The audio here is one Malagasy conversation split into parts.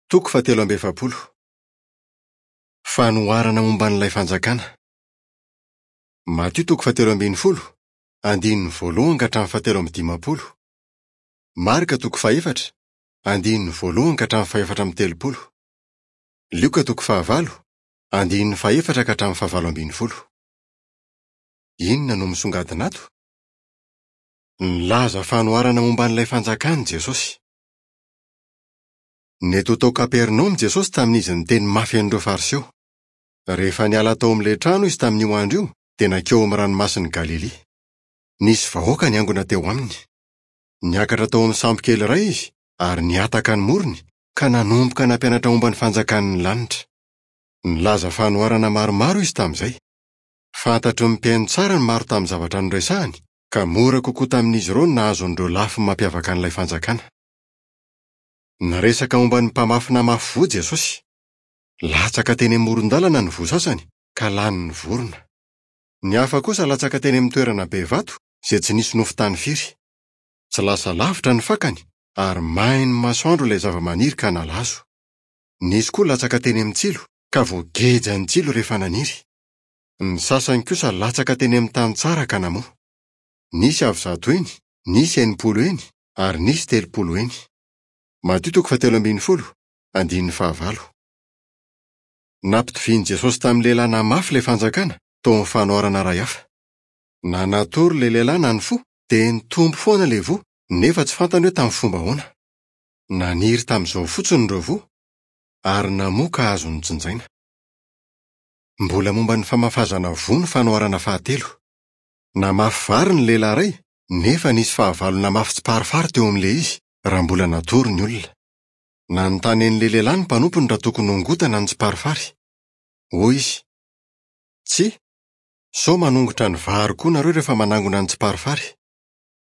Toko fahatelo amby efapolo. Fanoharana momba an'ilay Fanjakana. Matio toko fahatelo ambin'ny folo, andininy voalohany ka hatramin'ny fahatelo amby dimampolo. Marka toko fahefatra, andininy voalohany ka hatramin'ny fahefatra amby telopolo. Lioka toko fahavalo, andininy fahefatra ka hatramin'ny fahavalo ambin'ny folo. Inona no misongadina ato? Nilaza fanoharana momba an'ilay Fanjakana i Jesosy. Nety ho tao Kapernaomy Jesosy tamin'izy niteny mafy an'ireo Fariseo. Rehefa niala tao amin'ilay trano izy tamin'io andro io, dia nankeo amin'ny Ranomasin'i Galilia. Nisy vahoaka niangona teo aminy. Niakatra tao amin'ny sambo kely iray izy ary nihataka ny morony, ka nanomboka nampianatra momba ny fanjakan'ny lanitra. Nilaza fanoharana maromaro izy tamin'izay. Fantatry ny mpihaino tsara ny maro tamin'ny zavatra noresahiny, ka mora kokoa tamin'izy ireo ny nahazo an'ireo lafiny mampiavaka an'ilay Fanjakana. Niresaka momba ny mpamafy namafy voa Jesosy. Latsaka teny amoron-dalana ny voa sasany, ka lanin'ny vorona. Ny hafa kosa latsaka teny amin'ny toerana be vato, izay tsy nisy nofon-tany firy. Tsy lasa lavitra ny fakany, ary main'ny masoandro ilay zavamaniry ka nalazo. Nisy koa latsaka teny amin'ny tsilo, ka voagejan'ny tsilo rehefa naniry. Ny sasany kosa latsaka teny amin'ny tany tsara ka namoa. Nisy avo zato heny, nisy 60 heny, ary nisy 30 heny. Matio toko fahatelo ambin'ny folo, andininy fahavalo. Nampitovian'i Jesosy tamin'ny lehilahy namafy ilay fanjakana, tao amin'ny fanoharana iray hafa. Na natory ilay lehilahy na nifoha, dia nitombo foana ilay voa, nefa tsy fantany hoe tamin'ny fomba ahoana. Naniry tamin'izao fotsiny ireo voa, ary namoa ka azo nojinjaina. Mbola momba ny famafazana voa ny fanoharana fahatelo. Namafy vary ny lehilahy iray, nefa nisy fahavalo namafy tsiparifary teo amin'ilay izy, raha mbola natory ny olona. Nanontany an'ilay lehilahy ny mpanompony raha tokony hongotana ny tsiparifary. Hoy izy, Tsia, sao manongotra ny vary koa nareo rehefa manangona ny tsiparifary.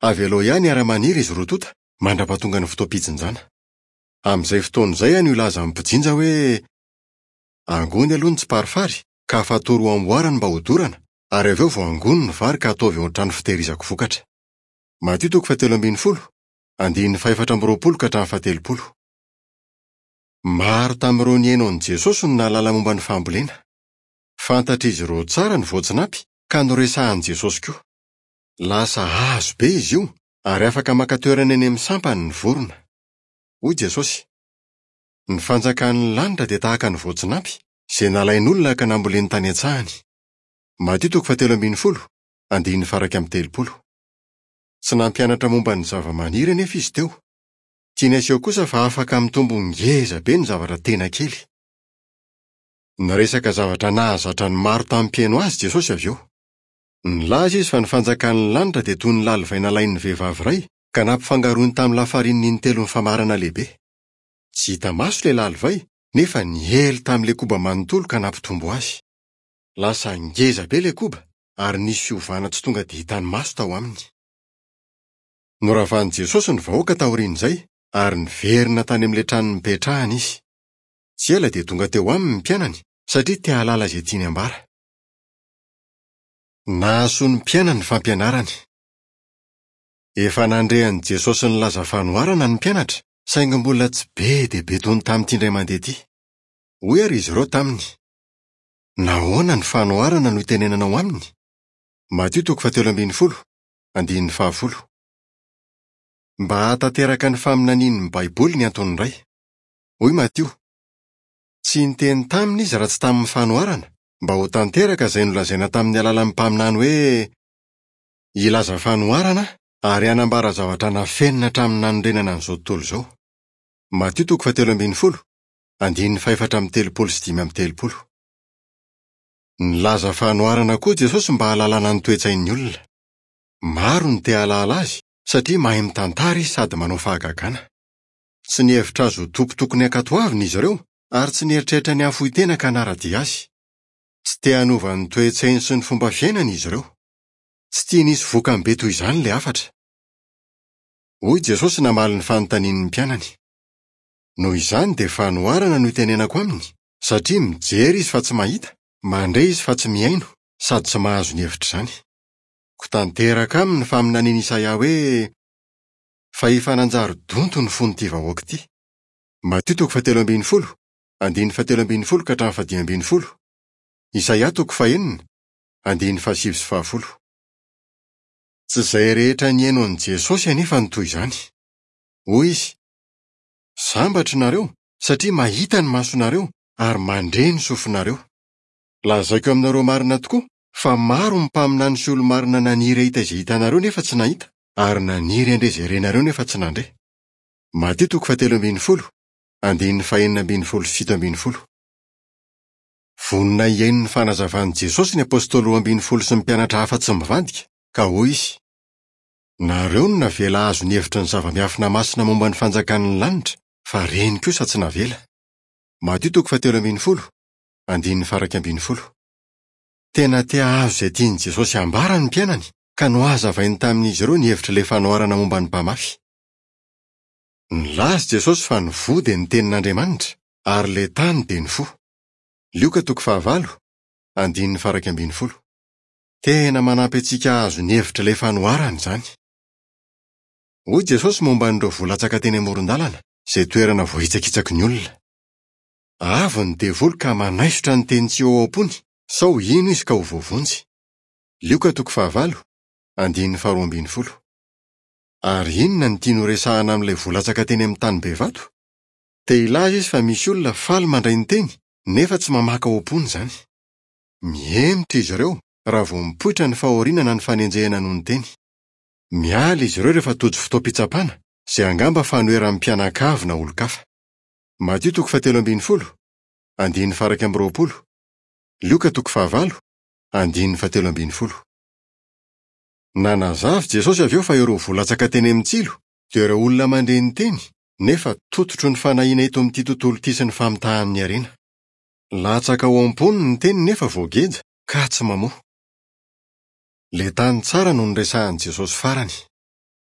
Avelao ihany hiara-maniry izy roa tonta mandra-pahatonga ny fotoam-pijinjana. Amin'izay fotoana izay aho no hilaza amin'ny mpijinja hoe, Angony aloha ny tsiparifary ka afatory ho amboarany mba hodorana, ary avy eo vao angony ny vary ka ataovy ao an-trano fitehirizako vokatra. Matio toko fahatelo ambin'ny folo, andininy fahefatra amby roapolo ka hatramin'ny fahatelopolo. Maro tamin'ireo nihaino an'i Jesosy no nahalala momba ny fambolena. Fantatr'izy ireo tsara ny voatsinampy ka noresahin'i Jesosy koa. Lasa hazo be izy io ary afaka maka toerana eny amin'ny sampany ny vorona. Hoy Jesosy, Ny fanjakan'ny lanitra dia tahaka ny voatsinampy, izay nalain'olona ka namboleny tany an-tsahany. Matio toko fahatelo ambin'ny folo, andininy faha-31. Tsy nampianatra momba ny zavamaniry anefa izy teo. Tiany haseho kosa fa afaka mitombo ngeza be ny zavatra tena kely. Niresaka zavatra nahazatra ny maro tamin'ny mpihaino azy Jesosy avy eo. Nilaza izy fa ny fanjakan'ny lanitra dia toy ny lalivay nalain'ny vehivavy iray ka nampifangaroiny tamin'ny lafarinina intelo ny famarana lehibe. Tsy hita maso ilay lalivay nefa niely tamin'ilay koba manontolo ka nampitombo azy. Lasa ngeza be ilay koba ary nisy fiovana tsy tonga dia hitan'ny maso tao aminy. Noravan'i Jesosy ny vahoaka taorian'izay ary niverina tany amin'ilay trano nipetrahany izy. Tsy ela dia tonga teo aminy ny mpianany satria te hahalala izay tiany hambara. Nahasoa ny mpianany ny fampianarany. Efa nandre an'i Jesosy nilaza fanoharana ny mpianatra, saingy mbola tsy be dia be toy ny tamin'ity indray mandeha ity. Hoy àry izy ireo taminy, Nahoana ny fanoharana no itenenanao aminy? Matio toko fahatelo ambin'ny folo, andininy fahafolo. Mba hahatanteraka ny faminanian'ny Baiboly ny antony iray. Hoy Matio, Tsy niteny taminy izy raha tsy tamin'ny fanoharana, mba ho tanteraka izay nolazaina tamin'ny alalan'ny mpaminany hoe, Hilaza fanoharana aho ary hanambara zavatra nafenina hatramin'ny nanorenana an'izao tontolo izao. Matio toko fahatelo ambin'ny folo, andininy fahefatra amby telopolo sy dimy amby telopolo. Nilaza fanoharana koa Jesosy mba hahalalana ny toe-tsain'ny olona. Maro no te hahalala azy satria mahay mitantara izy sady manao fahagagana. Tsy nihevitra azy ho tompo tokony hankatoavina izy ireo ary tsy nieritreritra ny hahafoy tena ka hanara-dia azy. Tsy te hanova ny toe-tsainy sy ny fomba fiainany izy ireo. Tsy tiany hisy vokany be toy izany ilay hafatra. Hoy Jesosy namaly ny fanontanian'ny mpianany. Noho izany dia fanoharana no itenenako aminy, satria mijery izy fa tsy mahita, mandre izy fa tsy mihaino, sady tsy mahazo ny hevitr'izany. Koa tanteraka aminy ny faminanian'i Isaia hoe, Fa efa nanjary donto ny fon'ity vahoaka ity. Matio toko fahatelo ambin'ny folo, andininy fahatelo ambin'ny folo ka hatramin'ny fahadimy ambin'ny folo. Isaia toko fahenina, andininy fahasivy sy fahafolo. Tsy izay rehetra nihaino an'i Jesosy anefa no toy izany. Hoy izy, Sambatra ianareo, satria mahita ny masonareo ary mandre ny sofinareo. Lazaiko aminareo marina tokoa fa maro ny mpaminany sy olo-marina naniry hahita izay hitanareo nefa tsy nahita, ary naniry handre izay renareo nefa tsy nandre. Matio toko fahatelo ambin'ny folo, andininy fahenina ambin'ny folo sy 17. Vonona hihaino ny fanazavan'i Jesosy ny apostoly 12 sy ny mpianatra hafa tsy mivadika, ka hoy izy, Nareo no navela hahazo ny hevitry ny zava-miafina masina momba ny fanjakan'ny lanitra, fa reny kosa tsy navela. Matio toko fahatelo ambin'ny folo, andininy faha-11. Tena te hahazo izay tian'i Jesosy hambara ny mpianany, ka nohazavainy tamin'izy ireo ny hevitr'ilay fanoharana momba ny mpamafy. Nilaza i Jesosy fa ny voa dia ny tenin'Andriamanitra, ary ilay tany dia ny fo. Lioka toko fahavalo, andininy faha-11. Tena manampy antsika hahazo ny hevitr'ilay fanoharana izany. Hoy Jesosy momba an'ireo voa latsaka teny amoron-dalana, izay toerana voahitsakitsaky ny olona. Avy ny devoly ka manaisotra ny teny tsy ho ao am-pony, sao hino izy ka ho voavonjy. Lioka toko fahavalo, andininy faharoa ambin'ny folo. Ary inona no tiany horesahana amin'ilay voa latsaka teny amin'ny tany be vato? Te hilaza izy fa misy olona faly mandray ny teny, nefa tsy mamaka ao am-pony izany. Mihemotra izy ireo raha vao mipoitra ny fahoriana na ny fanenjehana noho ny teny. Miala izy ireo rehefa tojo fotoam-pitsapana, izay angamba fanoheran'ny mpianakavy na olon-kafa. Matio toko fahatelo ambin'ny folo, andininy faha-21, Lioka toko fahavalo, andininy fahatelo ambin'ny folo. Nanazava i Jesosy avy eo fa ireo voa latsaka teny amin'ny tsilo dia ireo olona mandre ny teny nefa tototry ny fanahiana eto amin'ity tontolo ity sy ny famitahan'ny harena. Latsaka ao am-pony ny teny nefa voageja ka tsy mamoa. Ilay tany tsara no noresahin'i Jesosy farany.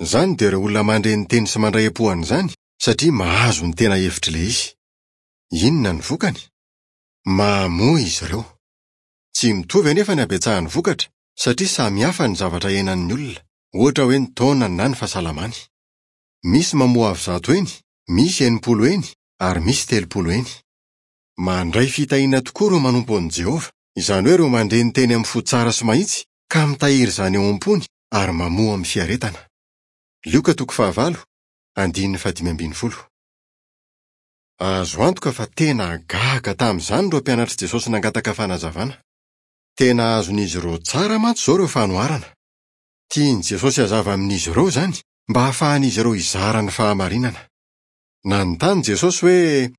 Izany dia ireo olona mandre ny teny sy mandray am-po an'izany satria mahazo ny tena hevitr'ilay izy. Inona ny vokany? Mamoa izy ireo. Tsy mitovy anefa ny habetsahan'ny vokatra satria samy hafa ny zavatra iainan'ny olona, ohatra hoe ny taonany na ny fahasalamany. Misy mamoa avo 100 heny, misy 60 heny, ary misy 30 heny. Mandray fitahiana tokoa ireo manompo an'i Jehovah, izany hoe ireo mandre ny teny amin'ny fo tsara sy mahitsy, ka mitahiry izany ao am-pony ary mamoa amin'ny fiaretana. Lioka toko fahavalo, andininy fahadimy ambin'ny folo. Azo antoka fa tena gaga tamin'izany ireo mpianatr'i Jesosy nangataka fanazavana. Tena azon'izy ireo tsara mantsy izao ireo fanoharana. Tian'i Jesosy hazava amin'izy ireo izany, mba hahafahan'izy ireo hizara ny fahamarinana. Nanontany Jesosy hoe,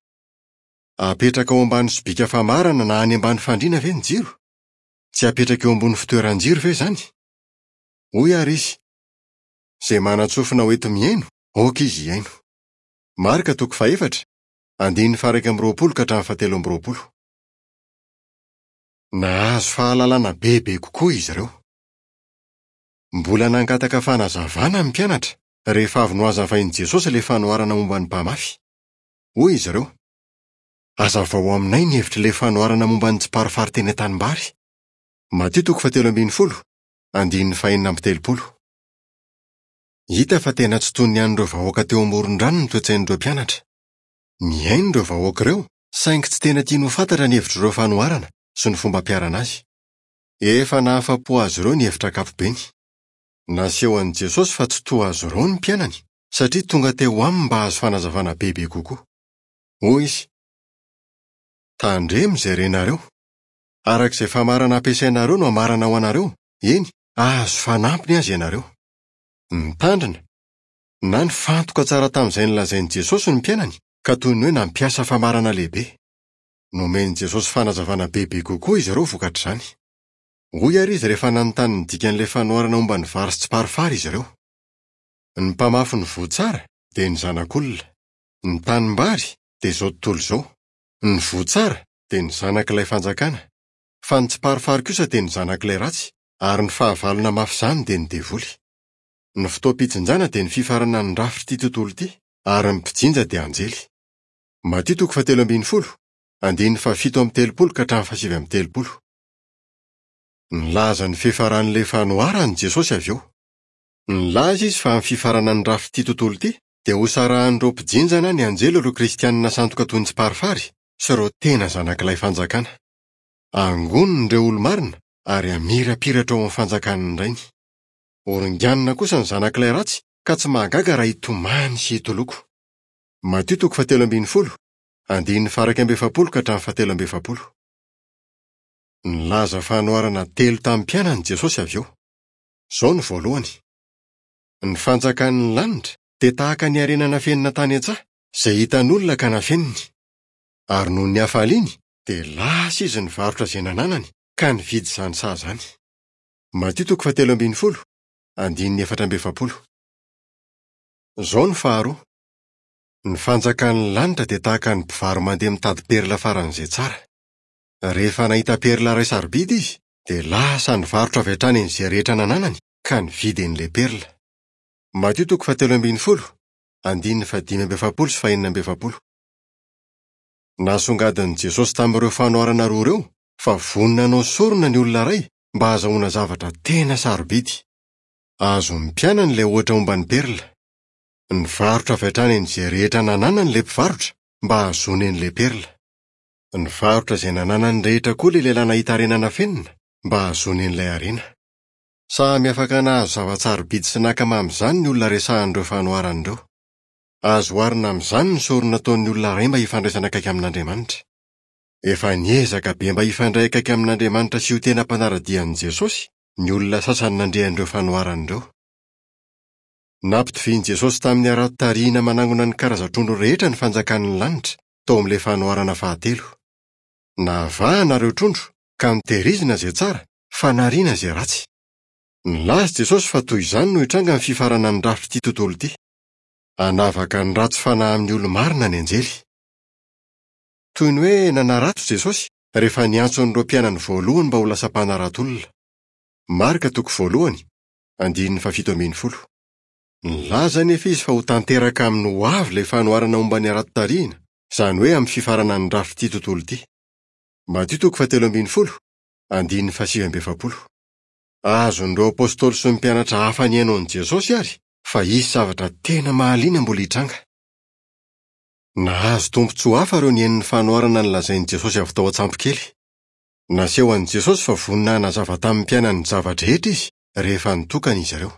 Apetraka ao ambany sobika famarana na any ambany fandriana ve ny jiro? Tsy apetraka eo ambony fitoeran-jiro ve izany? Hoy àry izy, Izay manan-tsofina ho enti-mihaino, aoka izy hihaino. Marka toko fahefatra, andininy faha-21 ka hatramin'ny fahatelo amby roapolo. Nahazo fahalalana bebe kokoa izy ireo. Mbola nangataka fanazavana ny mpianatra rehefa avy nohazavain'i Jesosy ilay fanoharana momba ny mpamafy. Hoy izy ireo, Hazavao aminay ny hevitr'ilay fanoharana momba ny tsiparifary teny an-tanimbary. Matio toko fahatelo ambin'ny folo, andininy fahenina amby telopolo. Hita fa tena tsy toy ny an'ireo vahoaka teo amoron-drano ny toe-tsain'ireo mpianatra. Nihaino ireo vahoaka ireo, saingy tsy tena tiany ho fantatra ny hevitr'ireo fanoharana sy ny fomba ampiharana azy. Efa nahafa-po azy ireo ny hevitra ankapobeny. Nasehon'i Jesosy fa tsy toa azy ireo ny mpianany, satria tonga teo aminy mba hahazo fanazavana bebe kokoa. Hoy izy, Tandremo izay renareo. Araka izay famarana ampiasainareo no hamarana ho anareo, eny, hahazo fanampiny aza ianareo. Nitandrina, na nifantoka tsara tamin'izay nolazain'i Jesosy ny mpianany, ka toy ny hoe nampiasa famarana lehibe. Nomen'i Jesosy fanazavana bebe kokoa izy ireo vokatr'izany. Hoy àry izy rehefa nanontany ny dikan'ilay fanoharana momba ny vary sy tsiparifary izy ireo. Ny mpamafy ny voa tsara dia ny Zanak'olona. Ny tanimbary dia izao tontolo izao. Ny voa tsara dia ny zanak'ilay fanjakana. Fa ny tsiparifary kosa dia ny zanak'ilay ratsy, ary ny fahavalo namafy izany dia ny devoly. Ny fotoam-pijinjana dia ny fifaranan'ny rafitr'ity tontolo ity, ary ny mpijinja dia anjely. Matio toko fahatelo ambin'ny folo, andininy fahafito amby telopolo ka hatramin'ny fahasivy amby telopolo. Nilaza ny fiafaran'ilay fanoharana i Jesosy avy eo. Nilaza izy fa amin'ny fifaranan'ny rafitr'ity tontolo ity, dia hosarahan'ireo mpijinja na ny anjely ireo Kristianina sandoka toy ny tsiparifary sy ireo tena zanak'ilay Fanjakana. Hangoniny ireo olo-marina ary hamirapiratra ao amin'ny fanjakan'ny Rainy. Horinganina kosa ny zanak'ilay ratsy ka tsy mahagaga raha hitomany sy hitoloko. Matio toko fahatelo ambin'ny folo, andininy faha-41 ka hatramin'ny fahatelo amby efapolo. Nilaza fanoharana telo tamin'ny mpianany Jesosy avy eo. Izao no voalohany. Ny fanjakan'ny lanitra dia tahaka ny harena nafenina tany an-tsaha, izay hitan'olona ka nafeniny. Ary noho ny hafaliany dia lasa izy nivarotra izay nananany ka nividy izany saha izany. Matio toko fahatelo ambin'ny folo, andininy 44. Izao no faharoa. Ny fanjakan'ny lanitra dia tahaka ny mpivaro-mandeha mitady perla faran'izay tsara. Rehefa nahita perla iray sarobidy izy, dia lasa nivarotra avy hatrany an'izay rehetra nananany ka nividy an'ilay perla. Matio toko fahatelo ambin'ny folo, andininy fahadimy amby efapolo sy fahenina amby efapolo. Nasongadin'i Jesosy tamin'ireo fanoharana roa ireo fa vonona hanao sorona ny olona iray mba hahazahoana zavatra tena sarobidy. Azon'ny mpianany ilay ohatra momba ny perla. Nivarotra avy hatrany an'izay rehetra nananany ilay mpivarotra mba hahazoany an'ilay perla. Nivarotra izay nananany rehetra koa ilay lehilahy nahita harena nafenina mba hahazoany an'ilay harena. Samy afaka nahazo zava-tsarobidy sy naka mamy izany ny olona resahin'ireo fanoharana ireo. Azo oharina amin'izany ny sorona ataon'ny olona iray mba hifandraisana akaiky amin'Andriamanitra. Efa niezaka be mba hifandray akaiky amin'Andriamanitra sy ho tena mpanara-dia an'i Jesosy ny olona sasany nandre an'ireo fanoharana ireo. Nampitovian'i Jesosy tamin'ny harato tarihina manangona ny karazan-trondro rehetra ny fanjakan'ny lanitra, tao amin'ilay fanoharana fahatelo. Navahana ireo trondro, ka notehirizina izay tsara, fa nariana izay ratsy. Nilaza Jesosy fa toy izany no hitranga ny fifaranan'ny rafitr'ity tontolo ity. Hanavaka ny ratsy fanahy amin'ny olo-marina ny anjely. Toy ny hoe nanarato Jesosy rehefa niantso an'ireo mpianany voalohany mba ho lasa mpanarato olona. Marka toko voalohany, andininy fahafito ambin'ny folo. Nilaza anefa izy fa ho tanteraka amin'ny hoavy ilay fanoharana momba ny harato tarihina, izany hoe amin'ny fifaranan'ny rafitr'ity tontolo ity. Matio toko fahatelo ambin'ny folo, andininy fahasivy amby efapolo. Azon'ireo apostoly sy ny mpianatra hafa nihaino an'i Jesosy àry fa hisy zavatra tena mahaliana mbola hitranga. Nahazo tombontsoa hafa ireo nihaino ny fanoharana nolazain'i Jesosy avy tao an-tsambokely. Naseho an'i Jesosy fa vonona hanazava tamin'ny mpianany ny zava-drehetra izy rehefa nitokana izy ireo.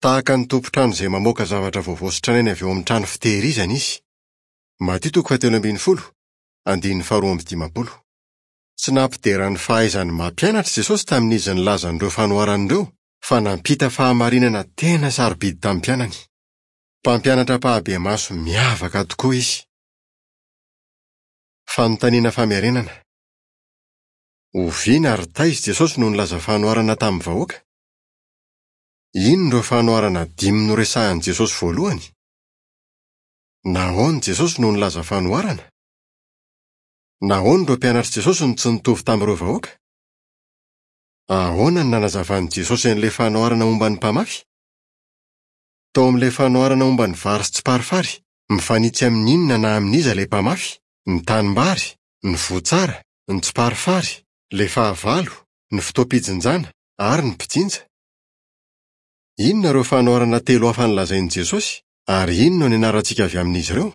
Tahaka ny tompon-trano izay mamoaka zavatra vaovao sy tranainy avy ao amin'ny trano fitehirizana izy. Matio toko fahatelo ambin'ny folo, andininy faharoa amby dimampolo. Tsy nampidera ny fahaizany mampianatra Jesosy tamin'izy nilaza an'ireo fanoharana ireo, fa nampita fahamarinana tena sarobidy tamin'ny mpianany. Mpampianatra ampahibemaso miavaka tokoa izy. Fanontaniana famerenana. Oviana ary taiza Jesosy no nilaza fanoharana tamin'ny vahoaka? Inona ireo fanoharana dimy noresahin'i Jesosy voalohany? Nahoana Jesosy no nilaza fanoharana? Nahoana ireo mpianatr'i Jesosy no tsy nitovy tamin'ireo vahoaka? Ahoana no nanazavan'i Jesosy an'ilay fanoharana momba ny mpamafy? Tao amin'ilay fanoharana momba ny vary sy tsiparifary, mifanitsy amin'ny inona na amin'iza ilay mpamafy, ny tanimbary, ny voa tsara, ny tsiparifary, ilay fahavalo, ny fotoam-pijinjana, ary ny mpijinja? Inona ireo fanoharana telo hafa nolazain'i Jesosy, ary inona no ianarantsika avy amin'izy ireo?